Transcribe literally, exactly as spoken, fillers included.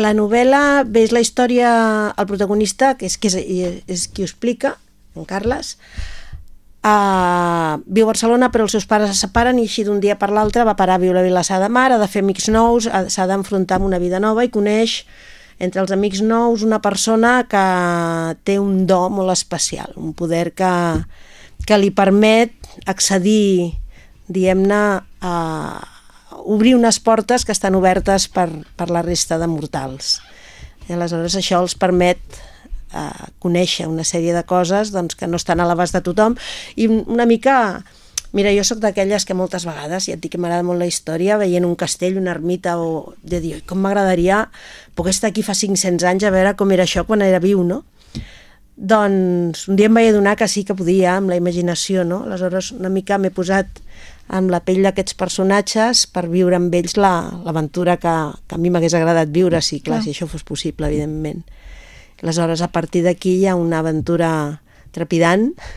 la novel·la ve la història, el protagonista, que és, que és, és qui ho explica, en Carles, uh, viu a Barcelona però els seus pares es separen i així d'un dia per l'altre va parar a viure a Vilassar de Mar, ha de fer amics nous, s'ha d'enfrontar amb una vida nova i coneix entre els amics nous una persona que té un do molt especial, un poder que, que li permet accedir, diguem-ne, a obrir unes portes que estan obertes per, per la resta de mortals. I aleshores això els permet eh, conèixer una sèrie de coses doncs, que no estan a l'abast de tothom i una mica... Mira, jo sóc d'aquelles que moltes vegades, ja et dic que m'agrada molt la història, veient un castell, una ermita, o de dir, com m'agradaria poder estar aquí fa cinc-cents anys a veure com era això quan era viu, no? Doncs un dia em vaig adonar que sí que podia, amb la imaginació, no? Aleshores una mica m'he posat amb la pell d'aquests personatges per viure amb ells l'aventura que, que a mi m'hagués agradat viure, sí, clar, clar, si això fos possible, evidentment. Aleshores, a partir d'aquí hi ha una aventura trepidant,